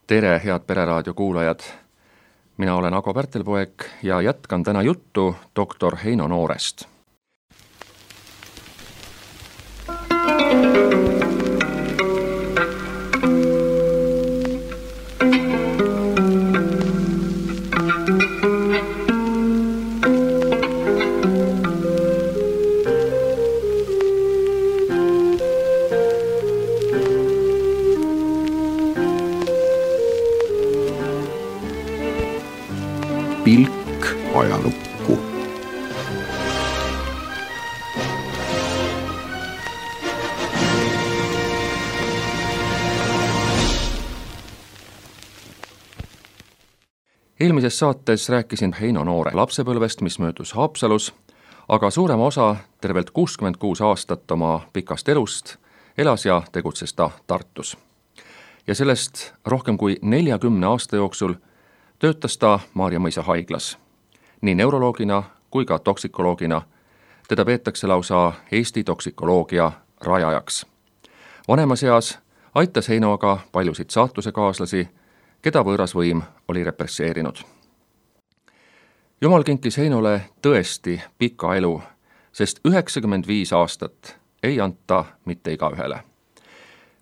Tere, head Pereraadio kuulajad! Mina olen Ago Pärtelpoeg ja jätkan täna juttu doktor Heino Noorest. Pilk ajalukku. Eelmises saates rääkisin Heino Noore lapsepõlvest, mis möödus Haapsalus, aga suurema osa, tervelt 66 aastat oma pikast elust, elas ja tegutses ta Tartus. Ja sellest rohkem kui 40 aasta jooksul töötas ta Maarja Mõisa haiglas. Nii neuroloogina kui ka toksikoloogina. Teda peetakse lausa Eesti toksikoloogia rajajaks. Vanemas eas aitas Heino aga paljusid saatusekaaslasi, keda võõras võim oli represseerinud. Jumal kinkis Heinole tõesti pika elu, sest 95 aastat ei anta mitte igaühele.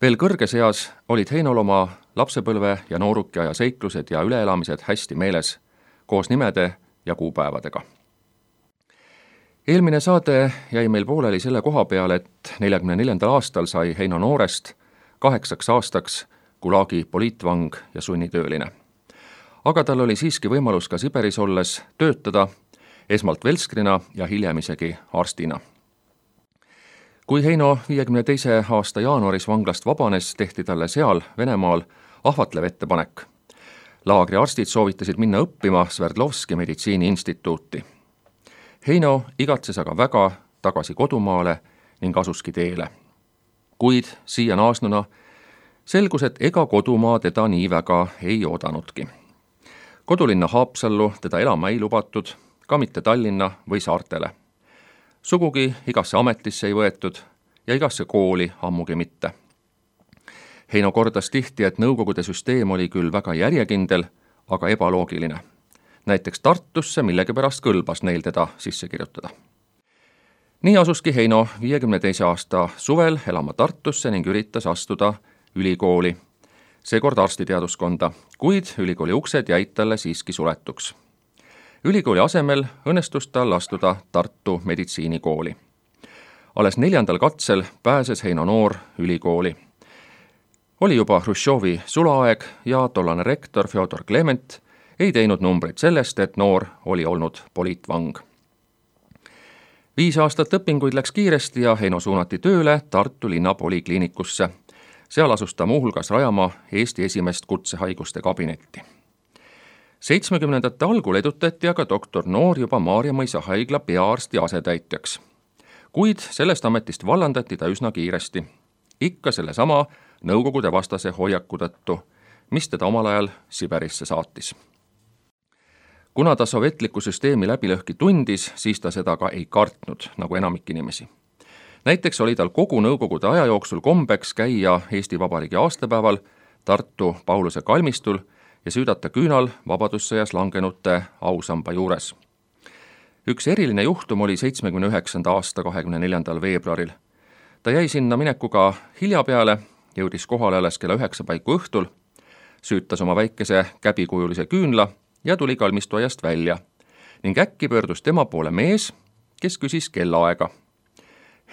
Veel kõrges eas olid Heinol oma lapsepõlve ja noorukiaja seiklused ja üleelamised hästi meeles, koos nimede ja kuupäevadega. Eelmine saade jäi meil pooleli selle koha peale, et 44. aastal sai Heino Noorest 8 aastaks Gulagi poliitvang ja sunnitööline. Aga tal oli siiski võimalus ka Siberis olles töötada, esmalt velskrina ja hiljem isegi arstina. Kui Heino 52. aasta jaanuaris vanglast vabanes, tehti talle seal Venemaal ahvatlev ettepanek. Laagri arstid soovitasid minna õppima Sverdlovski meditsiiniinstituuti. Heino igatses aga väga tagasi kodumaale ning asuski teele. Kuid siia naasnuna selgus, et ega kodumaa teda nii väga ei oodanudki. Kodulinna Haapsallu teda elama ei lubatud, ka mitte Tallinna või saartele. Sugugi igasse ametisse ei võetud ja igasse kooli ammugi mitte. Heino kordas tihti, et Nõukogude süsteem oli küll väga järjekindel, aga ebaloogiline. Näiteks Tartusse millegipärast kõlbas neil teda sisse kirjutada. Nii asuski Heino 52. aasta suvel elama Tartusse ning üritas astuda ülikooli, seekord arstiteaduskonda, kuid ülikooli uksed jäid talle siiski suletuks. Ülikooli asemel õnnestus tal astuda Tartu meditsiinikooli. Alles 4. katsel pääses Heino Noor ülikooli. Oli juba Hruštšovi sulaaeg ja tollane rektor Fjodor Klement ei teinud numbreid sellest, et Noor oli olnud poliitvang. 5 aastat õpinguid läks kiiresti ja Heino suunati tööle Tartu linna polikliinikusse. Seal asus ta muuhulgas rajama Eesti esimest kutsehaiguste kabinetti. 70. algul edutati aga doktor Noor juba Maarja Mõisa haigla peaarsti asetäitjaks. Kuid sellest ametist vallandati ta üsna kiiresti. Ikka sellesama Nõukogude vastase hoiaku tõttu, mis teda omal ajal Siberisse saatis. Kuna ta sovjetliku süsteemi läbilõhki tundis, siis ta seda ka ei kartnud, nagu enamik inimesi. Näiteks oli tal kogu Nõukogude aja jooksul kombeks käia Eesti Vabariigi aastapäeval Tartu Pauluse kalmistul ja süüdata küünal vabadussõjas langenute ausamba juures. Üks eriline juhtum oli 79. aasta 24. veebruaril. Ta jäi sinna minekuga hilja peale, jõudis kohale alles kella 9 paiku õhtul, süütas oma väikese käbikujulise küünla ja tuli kalmistuajast välja ning äkki pöördus tema poole mees, kes küsis kellaaega.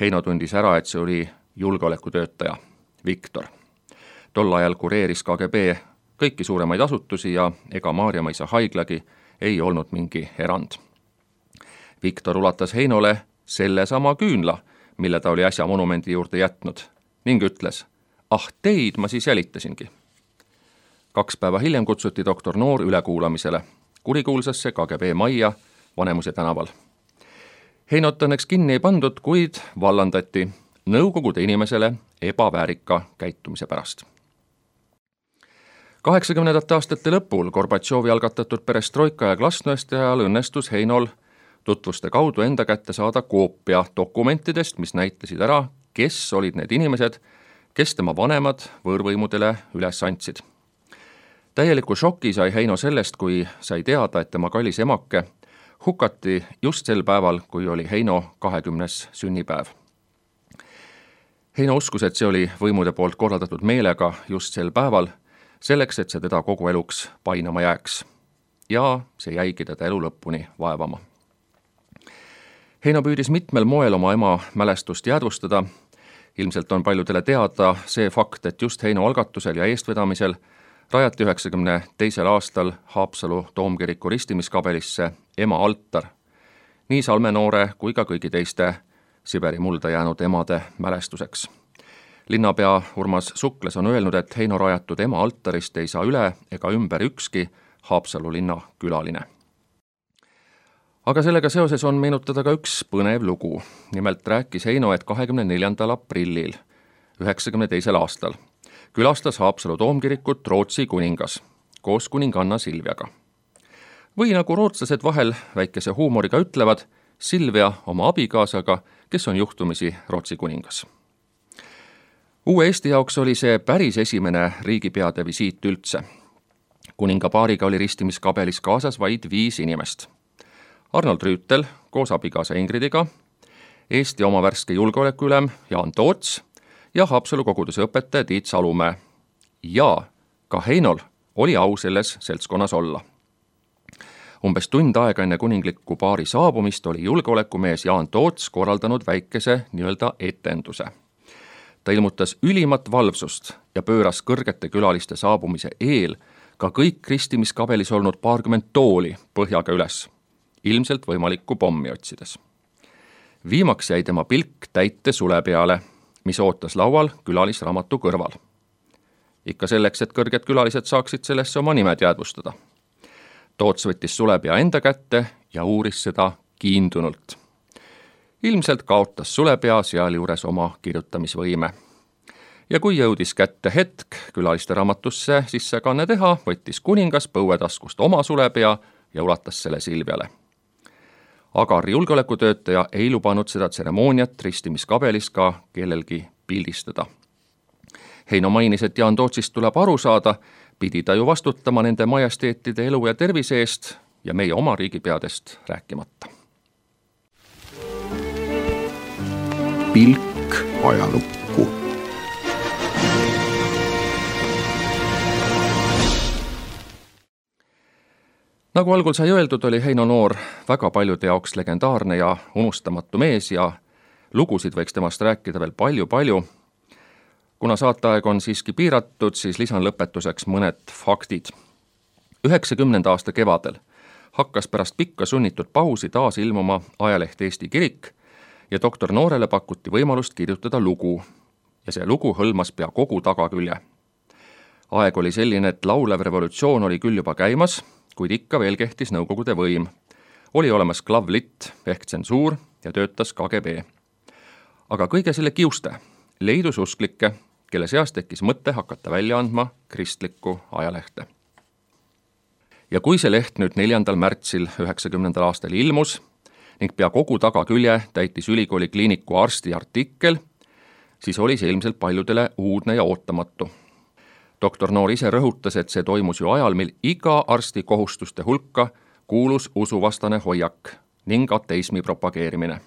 Heino tundis ära, et see oli julgeolekutöötaja, Viktor. Tol ajal kureeris KGB kõiki suuremaid asutusi ja ega Maarja Mõisa haiglagi ei olnud mingi erand. Viktor ulatas Heinole sellesama küünla, mille ta oli äsja monumendi juurde jätnud, ning ütles, teid ma siis jälitasingi. 2 päeva hiljem kutsuti doktor Noor ülekuulamisele kurikuulsasse KGB majja Vanemuise tänaval. Heinot õnneks kinni ei pandud, kuid vallandati Nõukogude inimesele ebaväärika käitumise pärast. 80. aastate lõpul Gorbatšovi algatatud perestroika ja glasnost ajal õnnestus Heinol tutvuste kaudu enda kätte saada koopia dokumentidest, mis näitasid ära, kes olid need inimesed, kes tema vanemad võõrvõimudele üles andsid. Täieliku šoki sai Heino sellest, kui sai teada, et tema kallis emake hukati just sel päeval, kui oli Heino 20. sünnipäev. Heino uskus, et see oli võimude poolt korraldatud meelega just sel päeval, selleks, et see teda kogu eluks painama jääks. Ja see jäigi teda elu lõpuni vaevama. Heino püüdis mitmel moel oma ema mälestust jäädvustada. Ilmselt on paljudele teada see fakt, et just Heino algatusel ja eestvedamisel rajati 92. aastal Haapsalu Toomkiriku ristimiskabelisse ema altar, nii Salme noore kui ka kõigi teiste Siberi mulda jäänud emade mälestuseks. Linnapea Urmas Sukles on öelnud, et Heino rajatud ema altarist ei saa üle ega ümber ükski Haapsalu linna külaline. Aga sellega seoses on meenutada ka üks põnev lugu. Nimelt rääkis Heino, et 24. aprillil 92. aastal külastas Haapsalu Toomkirikut Rootsi kuningas koos kuninganna Silviaga. Või nagu rootslased vahel väikese huumoriga ütlevad, Silvia oma abikaasaga, kes on juhtumisi Rootsi kuningas. Uue Eesti jaoks oli see päris esimene riigipeade visiit üldse. Kuningapaariga oli ristimiskabelis kaasas vaid 5 inimest. Arnold Rüütel koos abikaasa Ingridiga, Eesti oma värske julgeolekuülem Jaan Toots ja Haapsalu koguduse õpetaja Tiit Salumäe. Ja ka Heinol oli au selles seltskonnas olla. Umbes tund aega enne kuningliku paari saabumist oli julgeolekumees Jaan Toots korraldanud väikese nii-öelda etenduse. Ta ilmutas ülimat valvsust ja pööras kõrgete külaliste saabumise eel ka kõik ristimiskabelis olnud 20 tooli põhjaga üles, ilmselt võimalikku pommi otsides. Viimaks jäi tema pilk täite sule peale, mis ootas laual külalisraamatu kõrval. Ikka selleks, et kõrged külalised saaksid sellesse oma nimed jäädvustada. Toots võttis sulepea enda kätte ja uuris seda kiindunult. Ilmselt kaotas sulepea sealjuures oma kirjutamisvõime. Ja kui jõudis kätte hetk külaliste raamatusse sissekanne teha, võttis kuningas põuetaskust oma sulepea ja ulatas selle Silviale. Agar julgeolekutöötaja ei lubanud seda tseremooniat ristimiskabelis ka kellelgi pildistada. Heino mainis, et Jaan Tootsist tuleb aru saada, pidi ta ju vastutama nende majesteetide elu ja tervise eest ja meie oma riigipeadest rääkimata. Pilk ajalukku. Nagu algul sai öeldud, oli Heino Noor väga paljude jaoks legendaarne ja unustamatu mees ja lugusid võiks temast rääkida veel palju-palju. Kuna saateaeg on siiski piiratud, siis lisan lõpetuseks mõned faktid. 90. aasta kevadel hakkas pärast pikka sunnitud pausi taas ilmuma ajaleht Eesti Kirik ja doktor Noorele pakuti võimalust kirjutada lugu. Ja see lugu hõlmas pea kogu tagakülje. Aeg oli selline, et laulev revolutsioon oli küll juba käimas, kuid ikka veel kehtis nõukogude võim. Oli olemas klavlitt ehk tsensuur ja töötas KGB. Aga kõige selle kiuste leidus usklikke, kelle seas tekkis mõte hakata välja andma kristlikku ajalehte. Ja kui see leht nüüd 4. märtsil 90. aastal ilmus ning pea kogu tagakülje täitis ülikooli kliiniku arsti artikkel, siis oli see ilmselt paljudele uudne ja ootamatu. Doktor Noor ise rõhutas, et see toimus ju ajal, mil iga arsti kohustuste hulka kuulus usuvastane hoiak ning ateismi propageerimine.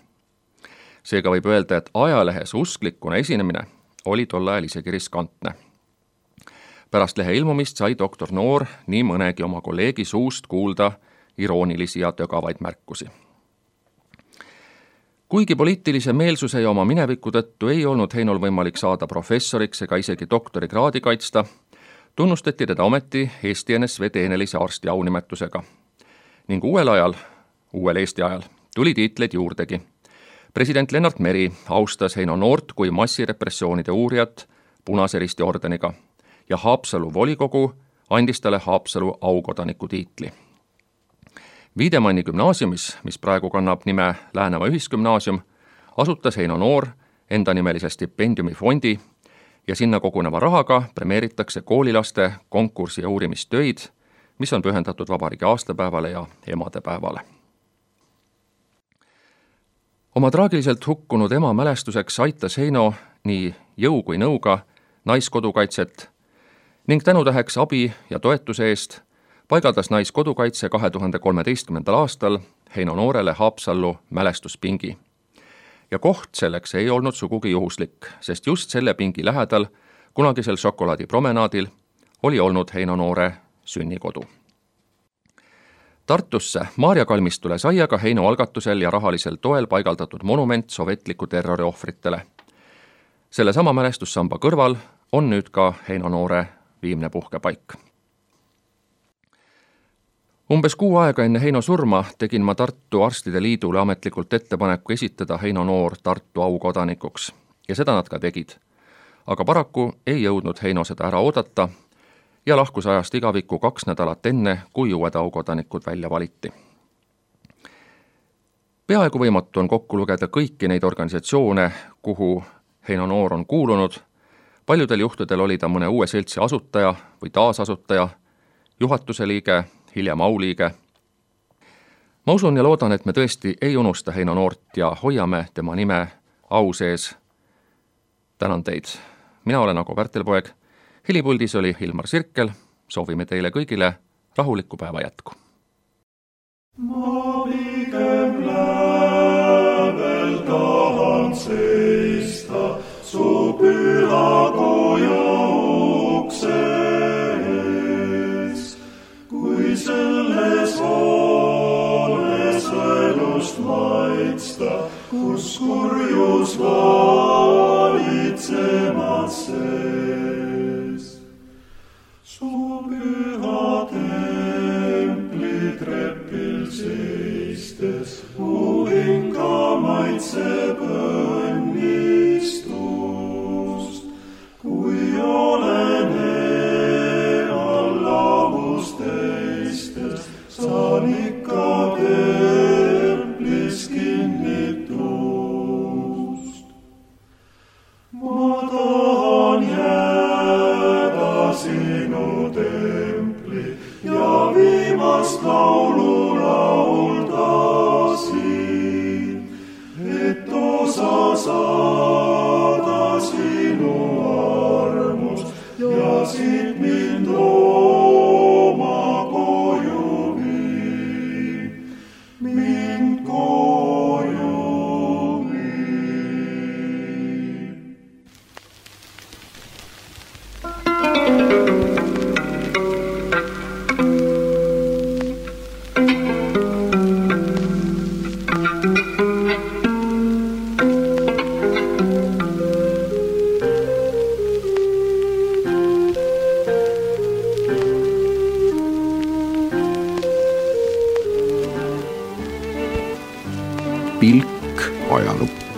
Seega võib öelda, et ajalehes usklikuna esinemine oli tol ajal isegi riskantne. Pärast lehe ilmumist sai doktor Noor nii mõnegi oma kolleegi suust kuulda iroonilisi ja tögavaid märkusi. Kuigi poliitilise meelsuse ja oma mineviku tõttu ei olnud Heinol võimalik saada professoriks ega isegi doktorikraadi kaitsta, tunnustati teda ometi Eesti NSV teenelise arsti aunimetusega. Ning uuel Eesti ajal tuli tiitleid juurdegi. President Lennart Meri austas Heino Noort kui massirepressioonide uurijat Punase Risti ordeniga ja Haapsalu volikogu andis talle Haapsalu aukodaniku tiitli. Viidemanni gümnaasiumis, mis praegu kannab nime Läänemaa ühisgümnaasium, asutas Heino Noor endanimelise stipendiumifondi ja sinna koguneva rahaga premeeritakse koolilaste konkursi- ja uurimistöid, mis on pühendatud vabariigi aastapäevale ja emadepäevale. Oma traagiliselt hukkunud ema mälestuseks aitas Heino nii jõu kui nõuga naiskodukaitset ning tänutäheks abi ja toetuse eest paigaldas Naiskodukaitse 2013. aastal Heino Noorele Haapsallu mälestuspingi. Ja koht selleks ei olnud sugugi juhuslik, sest just selle pingi lähedal, kunagisel šokolaadipromenaadil, oli olnud Heino Noore sünnikodu. Tartusse Maarja kalmistule sai aga Heino algatusel ja rahalisel toel paigaldatud monument sovetliku terrori ohvritele. Selle sama mälestussamba kõrval on nüüd ka Heino Noore viimne puhkepaik. Umbes kuu aega enne Heino surma tegin ma Tartu Arstide Liidule ametlikult ettepaneku esitada Heino Noor Tartu aukodanikuks ja seda nad ka tegid. Aga paraku ei jõudnud Heino seda ära oodata ja lahkus ajast igavikku 2 nädalat enne, kui uued aukodanikud välja valiti. Peaaegu võimatu on kokku lugeda kõiki neid organisatsioone, kuhu Heino Noor on kuulunud. Paljudel juhtudel oli ta mõne uue seltsi asutaja või taasasutaja, juhatuse liige, hiljem auliige. Ma usun ja loodan, et me tõesti ei unusta Heino Noort ja hoiame tema nime au sees. Tänan teid. Mina olen Ago Pärtelpoeg. Helipuldis oli Hilmar Sirkel. Soovime teile kõigile rahulikku päeva jätku. Ma pigem lävel tahan seista su püha koja ukse ees, kui selles hoones elust maitsta, kus kurjus valitsemas sees. Su püha templi trepil seistes, mu hinga maitseb õnnistust, kui olen allavus teistes, saan ikka templis kinnitust. Ma tahan jääda sinu templi ja viimast laulu laulda siin, et osa saada sinu armust ja siit mind oma koju viin, mind koju viin. Pilk ajalukku.